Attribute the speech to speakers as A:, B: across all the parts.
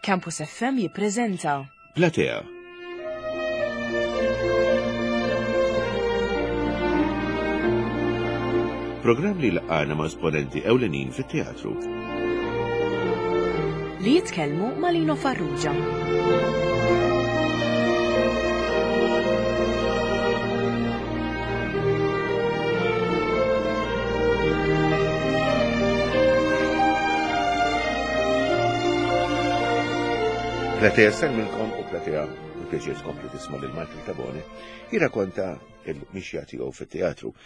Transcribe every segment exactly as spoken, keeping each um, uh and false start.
A: Campus F M jippreżenta
B: Platea. Programm li laqgħana ma' esponenti ewlenin fit-teatru.
A: Li jitkellmu ma' Lino Farrugia.
B: Platea minnkom u Platea il-pjaċir tkompli tisma' lil Michael Tabone jirrakonta il-mixja tiegħu fit-teatru.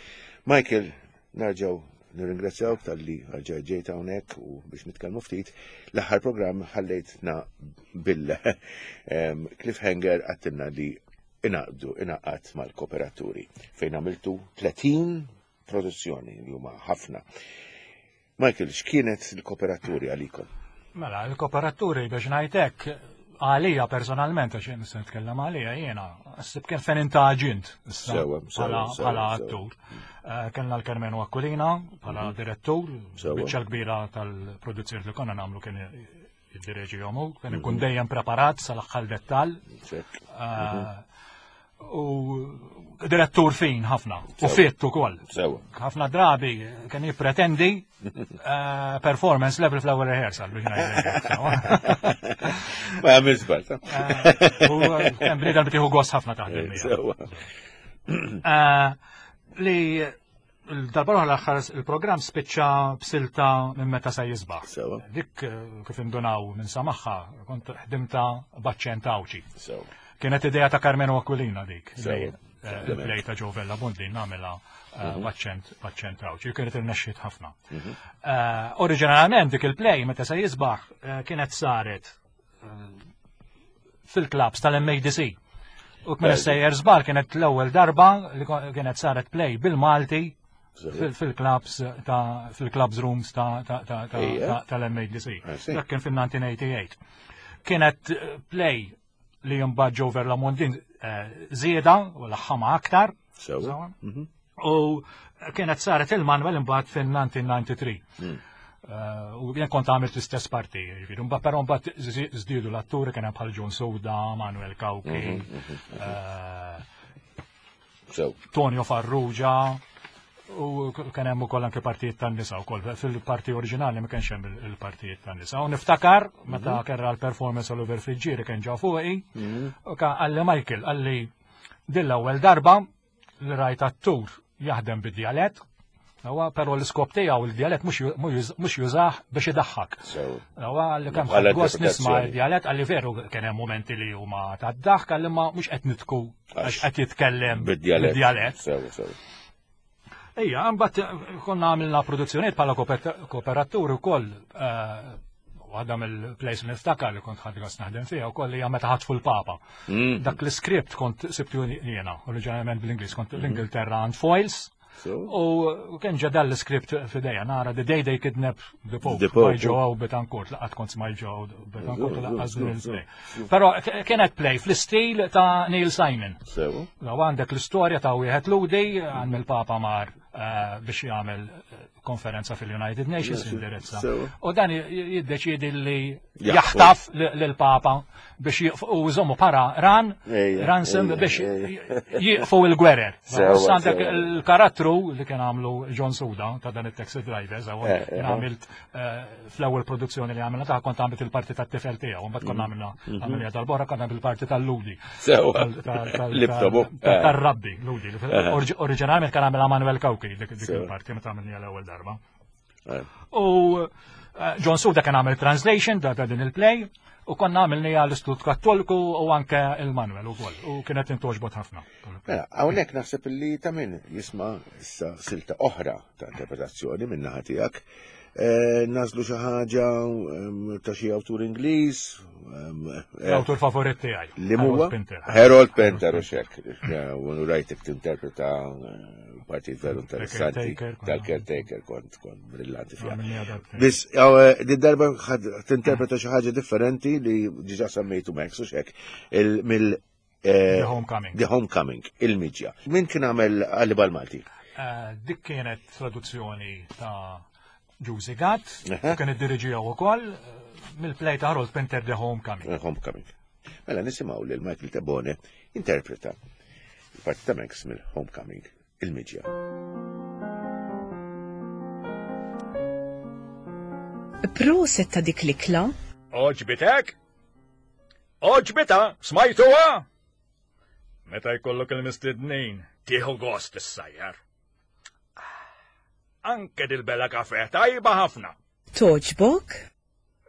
B: Michael, nerġgħu nirringrazzjawk talli rġajt ġejt hawnhekk u biex nitkellmu ftit. L-aħħar programm ħallejtna bil-cliffhanger għattilna li inaqdu inaqat mal-kooperaturi fejn għamiltu tletin produzzjoni li huma ħafna. Michael, x'kienet il-kooperaturi għalikom?
C: Mela, il-kooperaturi biex ngħidlek għalija personalment, għax jien se nitkellem għalija jiena, ssib kien fejn intaġint issa bħala attur. Kellna l-Karmenu Aquilina bħala direttur, biċċa kbira tal-produzzjoni li konna nagħmlu kien jiddireġi jomu, kien ikun dejjem preparat sal-aħħar dettall. U direttur fin ħafna, u fit ukoll. Ħafna drabi kien jippretendi performance level fl-ewwel rehearsal biex ngħidlek.
B: Ma jagħmel żball.
C: U kien bniedem li tieħu gost ħafna taħdem miegħu. Li l-darba l-aħħar il-programm spiċċa b'silta minn meta se jisbaħ. Dik kif indunaw minn sa magħha kont ħdimta b'aċċent Għawdxi. Kienet idea ta' Karmenu Aquilina dik. Il-play ta' Joe Vella Bondi nagħmilha b'aċċent b'aċċent Għawdxi. Kienet irnexxiet ħafna. Oriġinarjament dik il-play meta se jisbaħ kienet saret fil-clubs tal-M A D C. U kien sejjer żbar kienet l-ewwel darba li kienet saret play bil-Malti fil-clubs ta' fil-clubs rooms tal-M A D C. Dak kien fin-nineteen eighty-eight. Kienet play li mbagħad Joe Vella Mondin żieda u laħħama aktar. U kienet saret il-Manuel imbagħad fin-nineteen ninety-three. U jien kont għamilt l-istess parti, jiġifieri, mbagħad però mbagħad żdiedu l-atturi kien hemm bħal John Souda, Manuel Cauchi, Tonio Farrugia, u kien hemm ukoll anke partijiet tan-nisa wkoll. Fil-parti oriġinali ma kienx hemm il-partijiet tan-nisa. U niftakar meta kerra l-performance Oliver Friggieri kien ġew fuqi, u qalli Michael, qalli din l-ewwel darba li rajt attur jaħdem bid-djalett, huwa però l-iskop tiegħu il-djalett mhux jużah biex idaħħak. Huwa li kemm ħadd gost nisma' d-djalett, qalli veru kien hemm momenti li huma tad-daħk, qalli ma mhux qed nitku għax qed jitkellem bid-djalett. Ejja, mbagħad konna għamilna produzzjonijiet bħala kooperaturi wkoll, waħda mill-plays li niftakar li kont ħadd gost naħdem fiha wkoll hija meta ħatfu l-Papa. Dak l-iskript kont sibtu jiena, oriġinarjament bl-Ingliż, kont l-Ingilterra għand Foyles. U kien ġa dan l-iskript f'idejja, nara The Day They Kidnap the Pope, by Joe Betancourt, laqgħat kont smaj Joe Betancourt, laqgħat din il-play. Però kienet play fl-istil ta' Neil Simon. Law għandek l-istorja ta' wieħed Ludi, għand il-Papa mar biex jagħmel konferenza fil-United Nations indirizza. U dan jiddeċiedi li jaħtaf lill-Papa biex jiqfu u jżommu para ran, ransom biex jiqfu il-gwerer. Għandek il-karattru li kien għamlu John Souda ta' dan it-taxi driver, kien għamilt fl-ewwel produzzjoni li għamilna ta' kont għamilt il-parti tat-tifel tiegħu, mbagħad konna għamilna għamilna tal-borra kont għamilt il-parti tal-Ludi. Tar-rabbi, Ludi. Oriġinarjament kien għamilha Manuel Cauchi dik il-parti meta għamilniha l-ewwel darba. U John Souda kien għamel translation ta' din il-play u konna għamilniha l-Istitut Kattoliku u anke il-Manuel ukoll u kienet intoġbot ħafna.
B: Mela, hawnhekk naħseb li ta' min jisma' issa silta oħra ta' interpretazzjoni minn naħa tiegħek. Nażlu xi ħaġa ta' xi awtur Ingliż.
C: L-awtur favorit tiegħi.
B: Li huwa? Harold Pinter u xek. U rajtek tinterpreta partit veru interessanti tal-caretaker, kont kont brillanti fiha. Biss din darba tinterpreta xi ħaġa differenti li diġà semmejtu Max u xek mill
C: The Homecoming.
B: The Homecoming, il-miġja. Min kien għamel Għalli Malti?
C: Dik kienet traduzzjoni ta' Ġużi Gatt, u kien iddiriġiha wkoll eh, mill-play ta' Harold Pinter The Homecoming.
B: The Homecoming. Mela nisimgħu lil Michael Tabone interpreta il-parti ta' Max mill-Homecoming, il-miġja.
A: Proset ta' dik l-ikla.
C: Oġbitek? Oġbita, smajtuha? Meta jkollok il-mistednin, tieħu gost issajjar. Anke dil-bella kafe tajba ħafna.
A: Toġbok?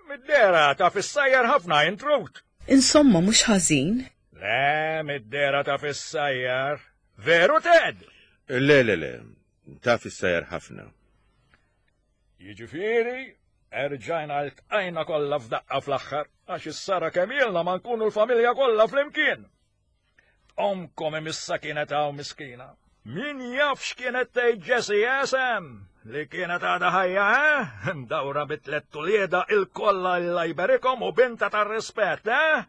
C: Mid-dera ta' fissajjar ħafna intrut.
A: Insomma, mhux ħażin.
C: Le, mid-dera ta' fissajjar. Veru, Ted?
B: Le, le, le, ta' fissajjar ħafna.
C: Jiġifieri, erġajna ltqajna kollha f'daqqa fl-aħħar, għax issara kemm ilna ma nkunu l-familja kollha flimkien. Omkom imissa kienet hawn miskina. Min jaf x'kienet tgħid Jessie Esem li kienet għadha ħajja, eh? Mdawra bi tliet tulieda il-kollha Alla jberikhom u binta tar-rispett, eh?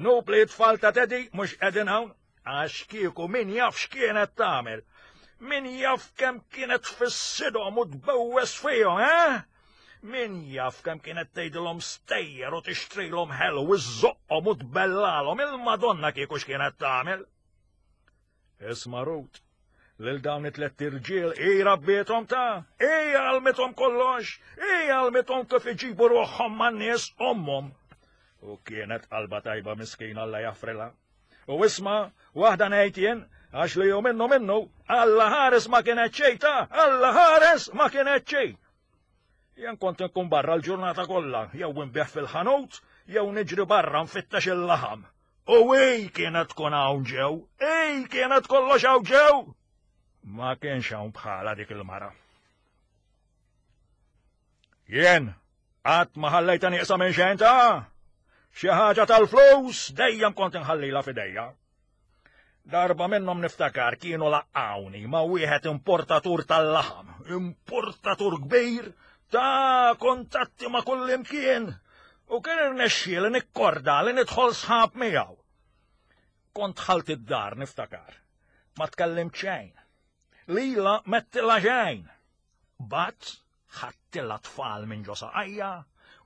C: Nupli tfal ta' Teddy mhux qegħdin hawn, għax kieku min jaf x'kienet tagħmel. Min jaf kemm kienet tfissidhom u tbewwes fihom, eh? Min jaf kemm kienet tgħidilhom stejjer u tixtrilhom ħelu u żżoqqhom u tbellalhom il-Madonna kieku x'kienet tagħmel. Isma' Ruth, lil dawn it-tlett irġiel hi rabbiethom ta' hi għallmithom kollox, hi għallmithom kif iġibu ruħhom man-nies ommhom. U kienet qalba tajba miskina Alla jaffrilha. U isma' waħda ngħid jien, għax li hu minnu minnu, Alla ħares ma kienet xejn ta' Alla ħares ma kienet xejn. Jien kont nkun barra l-ġurnata kollha, jew nbigħ fil-ħanut, jew niġri barra nfittex il-laħam. U hi kienet tkun hawn ġew, hi kienet kollox hawn ġew. Ma kienx hawn bħala dik il-mara. Jien qatt ma ħallejta nieqsa minn xejn ta' xi ħaġa tal-flus dejjem kont inħallilha f'idejja. Darba minnhom niftakar kienu laqqawni ma' wieħed importatur tal-laħam, importatur kbir ta' kontatti ma' kull imkien, u kien irnexxieli nikkorda li nidħol sħab miegħu. Kont ħalt id-dar niftakar, ma tkellimt xejn. Lila mettilha xejn. Bat ħadtilha tfal minn ġo saqajja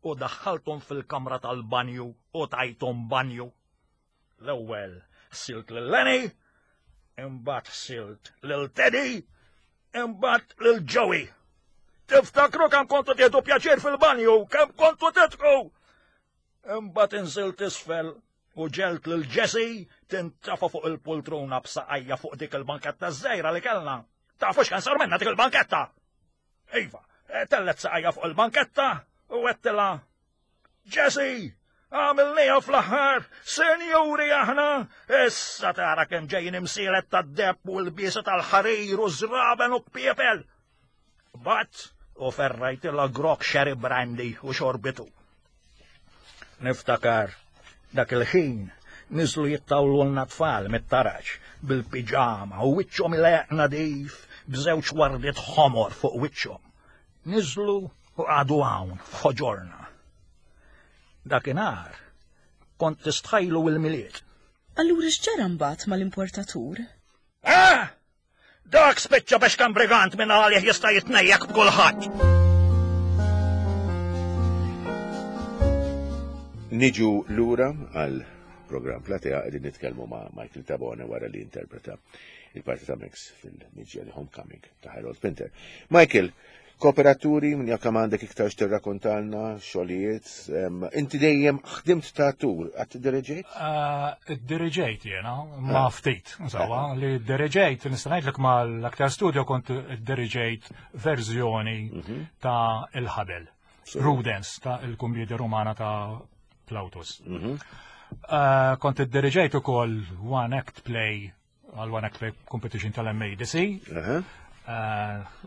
C: u daħħalthom fil-kamra tal-banju u tajthom banju. L-ewwel ħsilt lil Lenny, imbagħad ħsilt lil Teddy, imbagħad lil Joey. Tiftakru kemm kontu tieħdu pjaċir fil-banju, kemm kontu titku! Imbagħad inżilt isfel u ġelt lil Jessie tintafa fuq il-poltruna b'saqajja fuq dik il-banketta żgħira li kellna. Tafu x'kien sar minna dik il-banketta? Iva, tellet saqajja fuq il-banketta u għedtilha, Jessie, għamilniha fl-aħħar, senjuri aħna, issa tara kemm ġejjin imsielet tad-deheb u l-biesa tal-ħarir u żraben u kpiepel. Bat u ferrajtilha grok sherry brandy u xorbitu. Niftakar dak il-ħin niżlu jittawlulna tfal mit-taraġ bil-piġama u wiċċhom ileq nadif b'żewġ wardiet ħomor fuq wiċċhom. Niżlu u qagħdu hawn f'ħoġorna. Dakinhar kont tistħajlu il-Milied.
A: Allura x'ġara mbagħad mal-importatur?
C: Ah! Dak spiċċa biex kan brigant minn għalih jista' jitnejjek b'kulħadd.
B: Niġu lura għal program Platea qegħdin nitkellmu ma' Michael Tabone wara li interpreta il-parti ta' Max fil-miġja li Homecoming ta' Harold Pinter. Michael, kooperaturi, minn jekk għandek iktar x'tirrakkontalna, xogħlijiet, inti dejjem ħdimt ta' attur, qatt diriġejt?
C: Diriġejt jiena, ma ftit, insomma, li diriġejt, nista' ngħidlek mal-aktar studio kont diriġejt verżjoni ta' Il-Ħabel, Rudens ta' il-Kummedja Romana ta' Plautus. Kont iddiriġejt ukoll One Act Play għal One Act Play Competition tal-M A D C.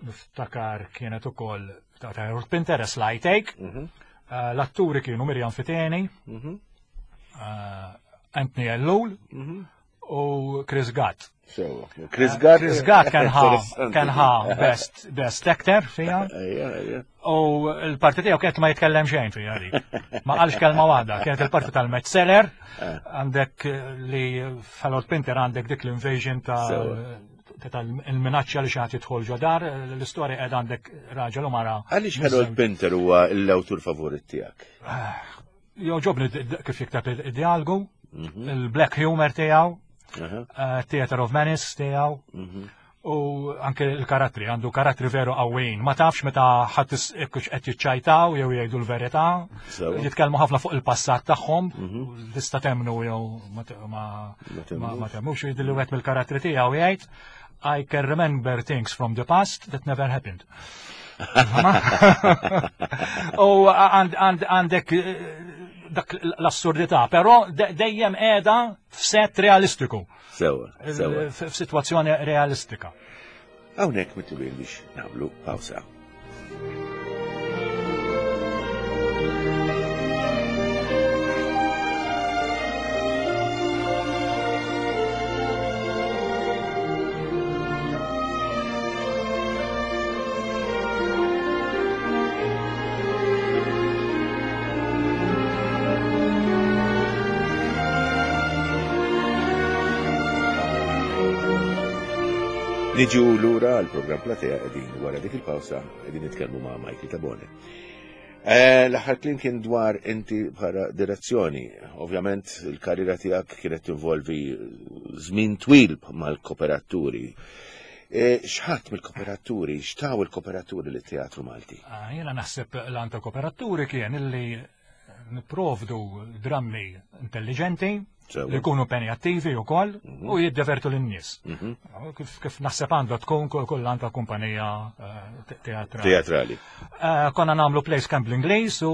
C: Niftakar kienet ukoll ta' Harold Pinter, Sly Take. L-atturi kienu Miriam Fiteni, Anthony Ellul u Chris Gatt.
B: Chris Gatt.
C: Chris Gatt kien ħa kien ħa best best actor fija. U l-parti tiegħu kienet ma jitkellem xejn fija dik. Ma qalx kelma waħda, kienet il-parti tal-Metzeler, għandek li f'Harold Pinter għandek dik l-invasion ta' tal-minaċċja li xi ħadd jidħol ġo dar, l-istorja qed għandek raġel u mara.
B: Għaliex Harold Pinter huwa l-awtur favorit tiegħek?
C: Joġobni kif jikteb id-dialogu, il-black humor tiegħu, Theater of Menace tiegħu, u anke l-karattri, għandu karattri veru qawwijin. Ma tafx meta ħadd qed jiċċajtaw jew jgħidu l-verità, jitkellmu ħafna fuq il-passat tagħhom, tista' temmnu jew ma temmnux, jidhirli wieħed mill-karattri tiegħu jgħid I can remember things from the past that never happened. U għandek dak l-assurdità, però dejjem qiegħda f'set realistiku.
B: Sewa, sewa.
C: F'sitwazzjoni realistika.
B: Hawnhekk mitlubin biex nagħmlu pawsa. Niġu lura għal-program Platea qegħdin wara dik il-pawsa qegħdin nitkellmu ma' Michael Tabone. L-aħħar kliem kien dwar inti bħala direzzjoni. Ovvjament il-karriera tiegħek kienet tinvolvi żmien twil mal-kooperaturi. X'ħadd mill-kooperaturi, x'taw il-kooperaturi lit-teatru Malti?
C: Jiena naħseb l-għan ta' kooperaturi kien illi nipprovdu drammi intelligenti, li jkunu impenjattivi u koll u jiddevertu l-nies. Kif naħseb għandha tkun kull għan ta' kumpanija teatrali.
B: Teatrali.
C: Konna nagħmlu plays kemm bl-Ingliż u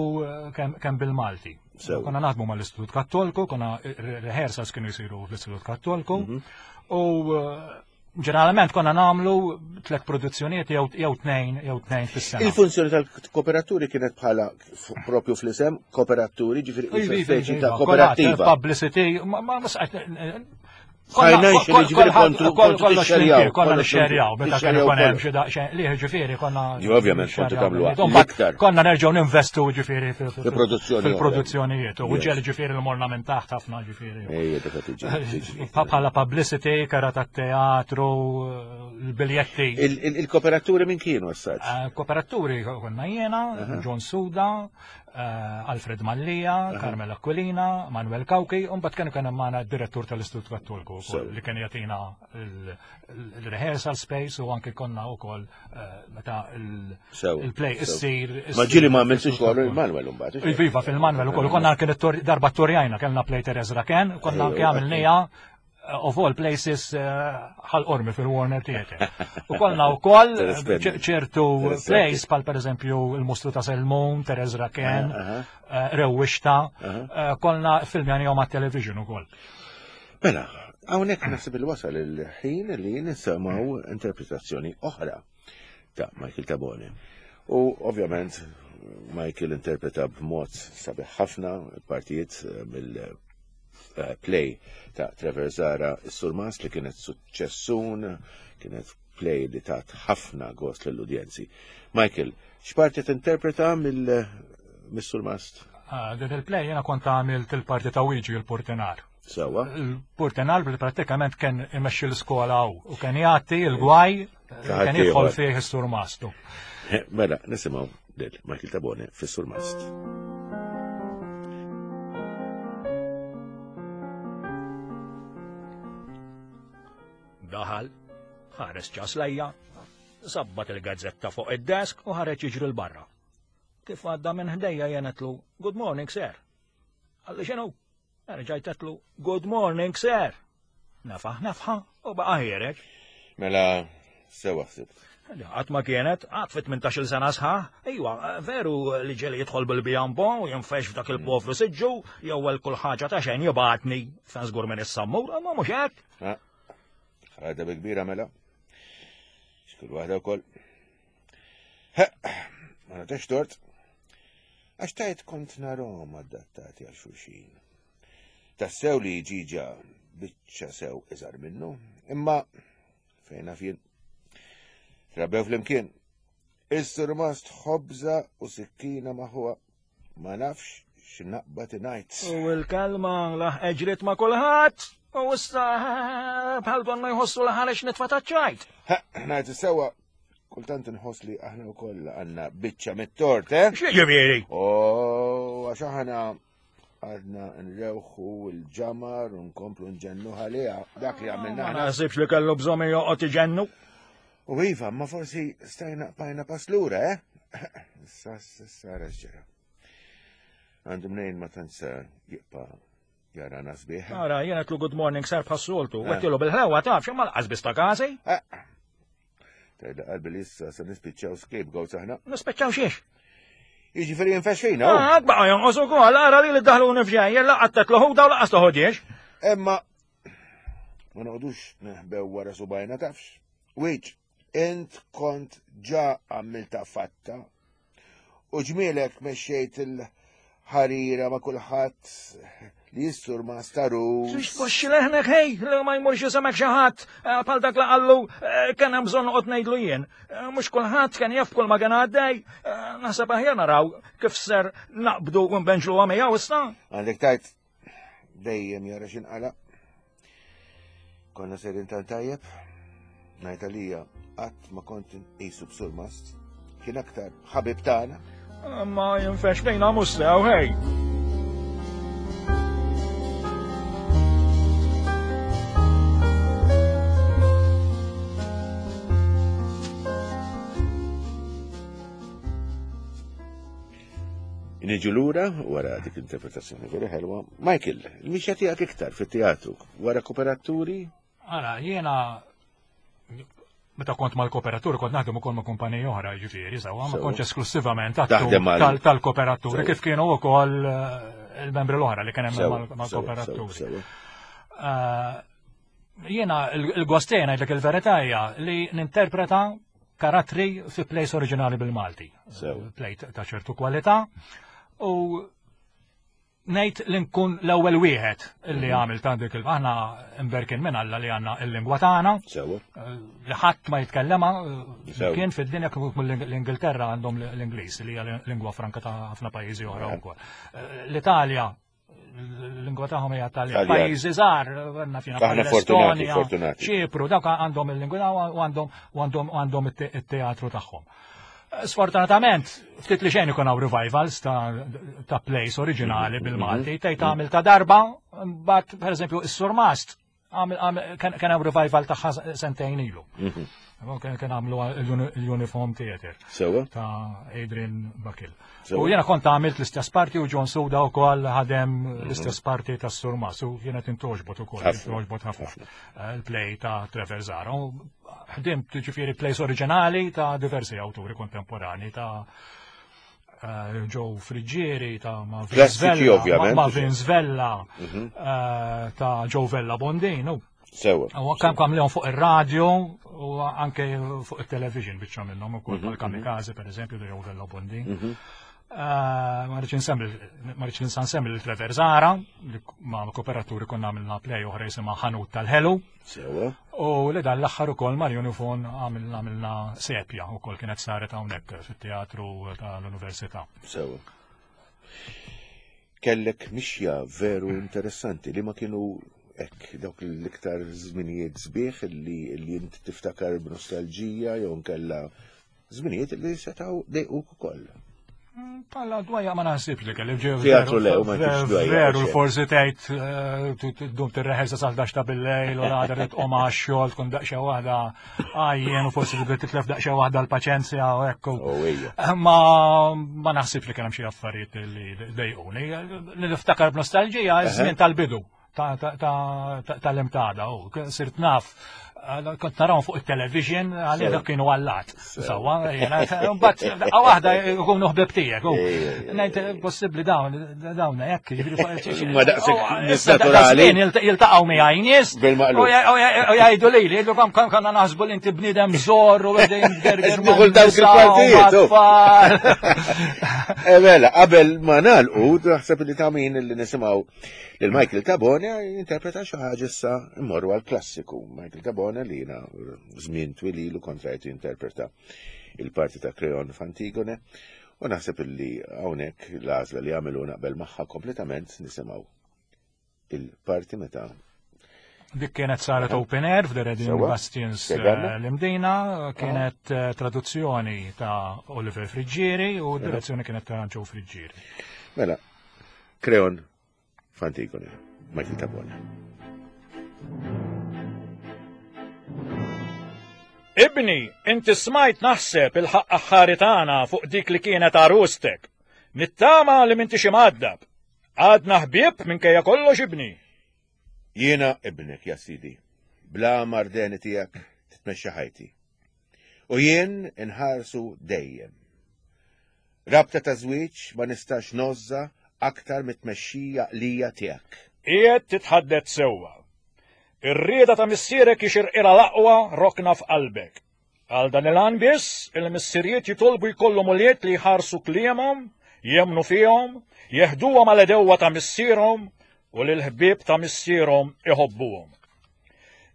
C: kemm bil-Malti. Konna naħdmu mal-Istitut Kattolku, konna rehearsals kienu jsiru fl-Istitut Kattolku u ġeneralment konna nagħmlu tliet produzzjonijiet jew tnejn jew tnejn fis-sena.
B: Il-funzjoni tal-kooperaturi kienet bħala propju fl-isem kooperaturi, ġifieri speċi ta' kooperattiva.
C: Publicity, ma
B: Financially, ġifieri kontu tixxerjaw.
C: Konna nixxerjaw, meta kien ikun hemm xi daqsxejn li ġifieri konna.
B: Ovvjament kontu tagħmlu iktar.
C: Konna nerġgħu ninvestu ġifieri
B: fil-produzzjoni.
C: Fil-produzzjonijiet. U ġieli ġifieri l-morna minn taħt ħafna ġifieri. Bħala publicity, kara tat-teatru, l-biljetti.
B: Il-kooperaturi min kienu as-saġġ?
C: Kooperaturi konna jiena, John Suda, Alfred Mallia, Carmel Aquilina, Manuel Cauchi, u mbagħad kienu kien hemm magħna d-direttur tal-Istitut Kattolku li kien jagħtina il-rehearsal space u anke konna wkoll meta il-play issir.
B: Ma ġieli ma għamiltux xogħol il-Manuel imbagħad.
C: Iva, fil-Manuel ukoll konna anke darba torjajna kellna play Teresa Raken, konna anke għamilniha of all places Ħal Qormi fil-Warner Theatre. U konna u koll ċertu plays pal per eżempju il-Mostru ta' Selmun, Teresa Raken, Rewwixta, konna filmjanihom għat-television u koll.
B: Mela, hawnhekk naħseb il-wasal il-ħin li nisimgħu interpretazzjoni oħra ta' Michael Tabone. U ovvjament Michael interpreta b'mod sabiħ ħafna partijiet mill play ta' Trevor Zara, Is-Surmast, li kienet suċċessun, kienet play li tat ħafna gost lill-udjenzi. Michael, x'parti tinterpreta mill-Surmast?
C: Din il-play jiena kont għamilt il-parti ta' Wiġi il-Portenar.
B: Sewa.
C: Il-Portenar bil prattikament kien imexxi l-iskola u kien jagħti l-gwaj kien jidħol fih is-Surmastu.
B: Mela, nisimgħu lil Michael Tabone fis-Surmast.
C: Daħal, ħares ċas lejja, sabbat il-gazzetta fuq id-desk u ħareġ jiġri l-barra. Kif għadda minn ħdejja jenetlu, "Good morning, sir." Għalli x'inhu? Erġajtetlu, "Good morning, sir." Nefaħ nefħa u baqa' ħiereġ.
B: Mela, sewa ħsibt.
C: Qatt ma kienet, qatt fi tmintax-il sena sħaħ, iwa, veru li ġeli jidħol bil-bijambo u jinfex f'dak il-povru siġġu, jew għal kull ħaġa ta' xejn jibgħatni fejn żgur minn is-sammur, imma mhux hekk.
B: Ħada bi kbira mela. Xkull waħda wkoll. Ma nagħtex tort. Għax tajt kont narhom adattati għal xulxin. Tassew li ġiġa biċċa sew iżgħar minnu, imma fejn naf jien. Trabbew flimkien. Is-surmast ħobża u sikkina maħuha. Ma nafx x'naqbad ingħid.
C: U l-kelma laħ ġriet ma' kulħadd.
D: U issa bħal donna jħossu l-ħarex nitfa' taċ-ċajt.
B: Ngħid sewwa, kultant inħoss li aħna wkoll għandna biċċa mit-tort, eh?
D: X'jiġifieri?
B: Oh, għax aħna għadna nrewħu l-ġamar u nkomplu nġennu għaliha dak li għamilna.
D: Ma naħsibx li kellu bżonn joqgħod iġennu.
B: U iva, ma forsi stajna bajna pass lura, eh? Issa sara x'ġara. Għandu mnejn ma tantx jibqa' jarana sbieħ.
D: Ara, jiena għedtlu good morning sar bħas-soltu. Għedtilu bil-ħlewa taf, x'imma laqas biss ta' każi.
B: Tajda qalbi li issa se nispiċċaw scapegoats aħna.
D: Nispiċċaw xiex?
B: Jiġifieri jinfexxina.
D: Ah, baqa' jonqos ukoll, ara li li daħluni f'ġejjel, laqgħat tetluħu daw laqas toħodiex.
B: Imma ma noqogħdux neħbew wara subajna tafx. Wiċ, int kont ġa għamilta fatta u ġmielek mexxejt il-ħarira ma' kulħadd li jissur ma' starus.
D: Xiex tpoxxi leħnek ħej, li ma jmurx jisemek xi ħadd bħal dak li qallu kien hemm bżonn noqgħod ngħidlu jien. Mhux kulħadd kien jaf kull ma kien għaddej. Naħseb aħjar naraw kif ser naqbdu u nbenġluha miegħu issa.
B: Għandek tajt dejjem jara x'inqala. Konna serin tant tajjeb. Ngħid għalija qatt ma kont nqisu b'surmast. Kien aktar ħabib tagħna.
D: Ma jinfex bejna mhux sew ħej.
B: Niġu lura wara dik interpretazzjoni veru ħelwa. Michael, il-mixja tiegħek iktar fit-teatru wara kooperaturi?
C: Ara, jiena meta kont mal-kooperaturi kont naħdem ukoll ma' kumpaniji oħra, jiġifieri, sewwa, ma kontx esklusivament tal-kooperaturi kif kienu wkoll il-membri l-oħra li kien hemm mal-kooperaturi. Jiena il-gost tiegħi ngħidlek il-verità hija li ninterpreta karattri fi plays oriġinali bil-Malti. Play ta' ċertu kwalità u ngħid li nkun l-ewwel wieħed li għamil ta' dik il aħna imberkin minn Alla li għandna l-lingwa tagħna. Li ħadd ma jitkellema kien fid-dinja kif l-Ingilterra għandhom l-Ingliż li hija lingwa franka ta' ħafna pajjiżi oħra wkoll. L-Italja l-lingwa tagħhom hija Taljan. Pajjiżi żgħar, għandna fina l-Estonja, Ċipru, dawk għandhom il-lingwa u għandhom għandhom għandhom it-teatru tagħhom. Sfortunatament, ftit li xejn ikun hawn revivals ta' plays oriġinali bil-Malti, tgħid tagħmel ta' darba, mbagħad pereżempju is-Surmast kien hemm revival tagħha sentejn ilu. Kien għamlu l-Uniform Theatre ta' Adrian Bakil. U jiena kont għamilt l-istess parti u John Suda wkoll ħadem l-istess parti tas-Surmast u jiena tintoġbot ukoll, tintoġbot ħafna il-play ta' Trevor Zara. Ħdimt ġifieri plays oriġinali ta' diversi awturi kontemporani ta' Joe Friggieri, ta' Marvin Svella, ta' Joe Vella Bondin.
B: Sewa.
C: U kam kam fuq ir-radio u anke fuq it-television biċċa minnhom ukoll bħal-Kamikaze pereżempju ta' Joe Vella Bondin. Ma rridx insemmi ma rridx ninsa nsemmi lil Trevor Zara li ma' kooperaturi konna għamilna play oħra jisimha Ħanut tal-Ħelu.
B: Sewa.
C: U li dan l-aħħar ukoll mal Unifon għamilna sepja ukoll kienet saret hawnhekk fit-teatru tal-Università.
B: Sewa. Kellek mixja veru interessanti li ma kienu hekk dawk l-iktar żminijiet sbieħ li li int tiftakar b'nostalġija jew nkella żminijiet li setgħu dejquk ukoll.
C: Palla dwajja ma naħsibx li kelli ġew.
B: Teatru lew ma kienx dwajja.
C: Veru forsi tgħid tdum tirreħelsa sa ħdax ta' bil-lejl u l-għada trid tqum għax-xogħol tkun daqsxejn waħda għajjen u forsi tibda titlef daqsxejn waħda l-paċenzja u hekk. Ma ma naħsibx li kien hemm xi affarijiet li dejquni. Li niftakar b'nostalġija iż-żmien tal-bidu tal-imtada u sirt naf kont narawhom fuq it-television għalija dak kienu għallat. Sewwa, mbagħad daqqa waħda jkunu ħbieb tiegħek. Ngħid possibbli dawn dawn hekk, jiġifieri
B: Ma daqshekk nies naturali.
C: Jiltaqgħu miegħi nies u jgħidu lili, jgħidu kemm konna naħsbu li inti bniedem żor u qegħdin tgerger
B: ma' dawk il-partijiet. Eh mela, qabel ma nagħlqu naħseb li ta' min li nisimgħu lil Michael Tabone jinterpreta xi ħaġa issa mmorru għall-klassiku. Michael Tabone li jiena żmien twil ilu kont rajtu jinterpreta il-parti ta' Creon f'Antigone u naħseb illi hawnhekk l-għażla li għamilu naqbel magħha kompletament nisimgħu il-parti meta
C: Dik kienet saret open air f'The Reading Bastions l-Imdina, kienet traduzzjoni ta' Oliver Friggieri u direzzjoni kienet ta' Joe Friggieri.
B: Mela, Kreon f'Antigone, Michael Tabone.
D: Ibni, inti smajt naħseb il-ħaqq aħħari tagħna fuq dik li kienet għarustek. Nittama li m'intix imgħaddab. Għadna ħbieb minkejja kollox ibni.
B: Jiena ibnek, ja sidi, bla mardeni tiegħek titmexxa ħajti. U jien inħarsu dejjem. Rabta ta' żwieġ ma nistax nożża aktar mit-tmexxija lija tiegħek.
D: Qiegħed titħaddet sewwa. Ir-rieda ta' missierek jixirqilha l-aqwa rokna f'qalbek. Għal dan il-għan biss, il-missirijiet jitolbu jkollhom ulied li jħarsu kliemhom, jemnu fihom, jeħduhom għal edewwa ta' missierhom u li l-ħbieb ta' missierhom iħobbuhom.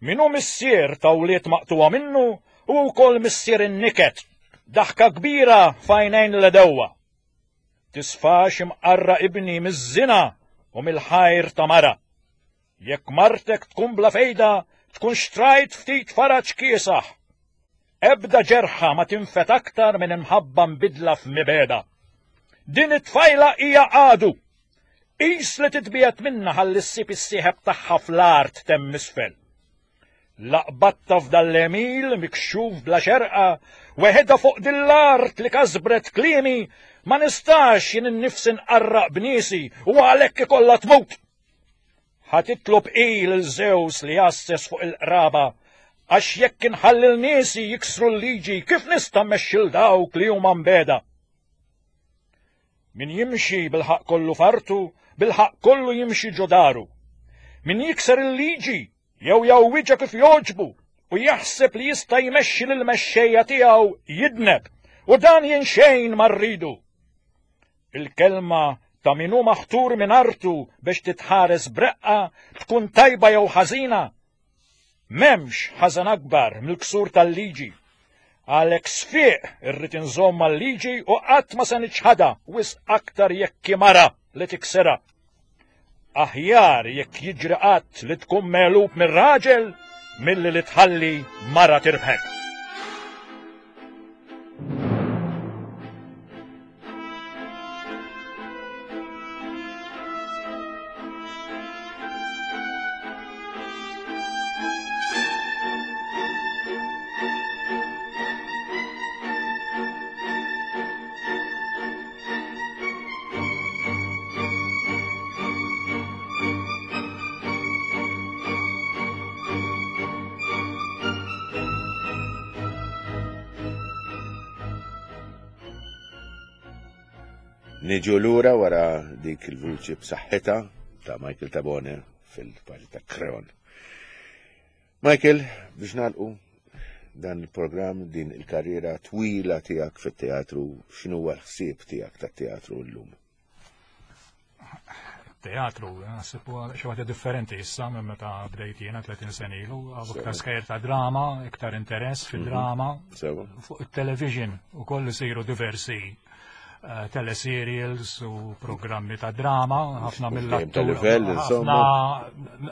D: Min hu missier ta' wlied maqtuwa minnu u wkoll missier in-niket, daħka kbira f'għajnejn l-edewwa. Tisfax imqarra ibni miż-żina u mill-ħajr ta' mara. Jekk martek tkun bla fejda, tkun xtrajt ftit faraġ kiesaħ. Ebda ġerħa ma tinfet aktar minn imħabba mbidla f'mibeda. Din it-tfajla hija għadu. Qis li titbiet minna ħalli ssib is-sieħeb tagħha fl-art temm isfel. Laqbatta f'dal-emil mikxuf bla xerqa, weħeda fuq din l-art li kasbret kliemi, ma nistax jien innifsi nqarraq b'niesi u għalhekk ikollha tmut. Ħa titlob il Zeus li jasses fuq il-qraba, għax jekk inħalli l-niesi jiksru l-liġi, kif nista' mmexxi l dawk li huma mbeda? Min jimxi bil-ħaqq kollu fartu, bil-ħaqq kollu jimxi ġo daru. Min jikser il-liġi jew jawwiġa kif joġbu u jaħseb li jista' jmexxi lill-mexxejja tiegħu jidneb, u dan jien xejn ma rridu. Il-kelma ta' min hu maħtur minn artu biex titħares breqqa tkun tajba jew ħażina. M'hemmx ħażen akbar mill-ksur tal-liġi. Għalhekk sfiq irrid inżomm mal-liġi u qatt ma se niċħadha wisq aktar jekk mara li tiksirha. Aħjar jekk jiġri qatt li tkun megħlub mir-raġel milli li tħalli mara tirbħek.
B: Niġu lura wara dik il-vuċi b'saħħitha ta' Michael Tabone fil-parti ta' Kreon. Michael, biex nagħlqu dan il-programm, din il-karriera twila tiegħek fit-teatru, x'inhu l-ħsieb tiegħek tat-teatru llum?
C: Teatru, naħseb huwa xi ħaġa differenti issa minn meta bdejt jiena tletin sena ilu, iktar skajjer ta' drama, iktar interess fid-drama. Fuq it-television ukoll isiru diversi teleserials u programmi ta' drama, ħafna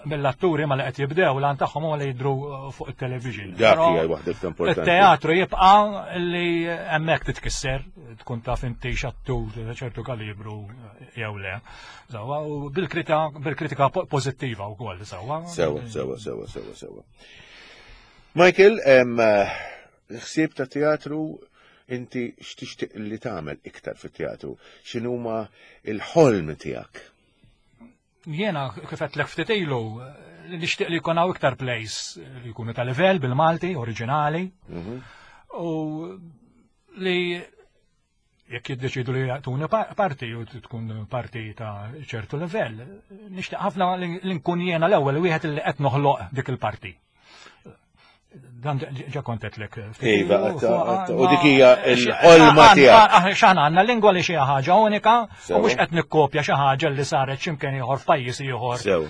C: mill-atturi ma li qed jibdew l-għan tagħhom huwa li jidhru fuq it-television.
B: Dak hija waħda importanti.
C: Il-teatru jibqa' li hemmhekk titkisser, tkun taf inti x'attur ċertu kalibru jew le. Sewwa, u bil-kritika pożittiva wkoll, sewwa.
B: Sewwa, sewwa, sewwa, sewwa, sewwa. Michael, ħsieb ta' teatru inti x'tixtieq li tagħmel iktar fit-teatru? X'inhuma l-ħolm tiegħek?
C: Jiena kif qedlek ftit ilu nixtieq li jkun hawn iktar plays li jkunu ta' livell bil-Malti, oriġinali. U li jekk jiddeċidu li jagħtuni parti u tkun parti ta' ċertu livell, nixtieq ħafna li nkun jiena l-ewwel wieħed li qed noħloq dik il-parti. Dan ġa kontetlek.
B: Iva, u dik hija l-ħolma tiegħek.
C: X'aħna għandna lingwa li xi ħaġa unika u mhux qed nikkopja xi ħaġa li saret x'imkien ieħor f'pajjiż ieħor. Sew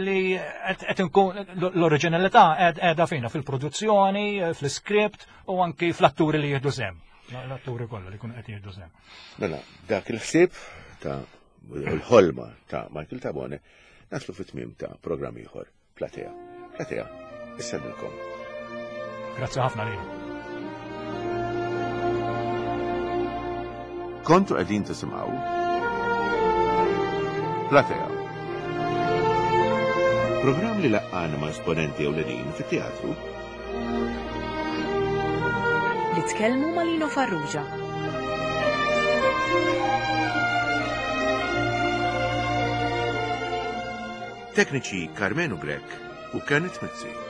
C: li qed inkun l-oriġinalità qiegħda fina fil-produzzjoni, fl-iskript u anki fl-atturi li jieħdu sehem. L-atturi kollha li jkunu qed jieħdu sehem.
B: Mela, dak il-ħsieb ta' l-ħolma ta' Michael Tabone naslu fit-tmiem ta' programm ieħor Platea. Platea, issellilkom.
C: Grazzi ħafna lilkom.
B: Kontu qegħdin tisimgħu Platea. Programm li laqqana ma' esponenti ewlenin fit-teatru
A: Li tkellmu ma' Lino Farrugia.
B: Tekniċi Karmenu Grech u Kenneth Mizzi.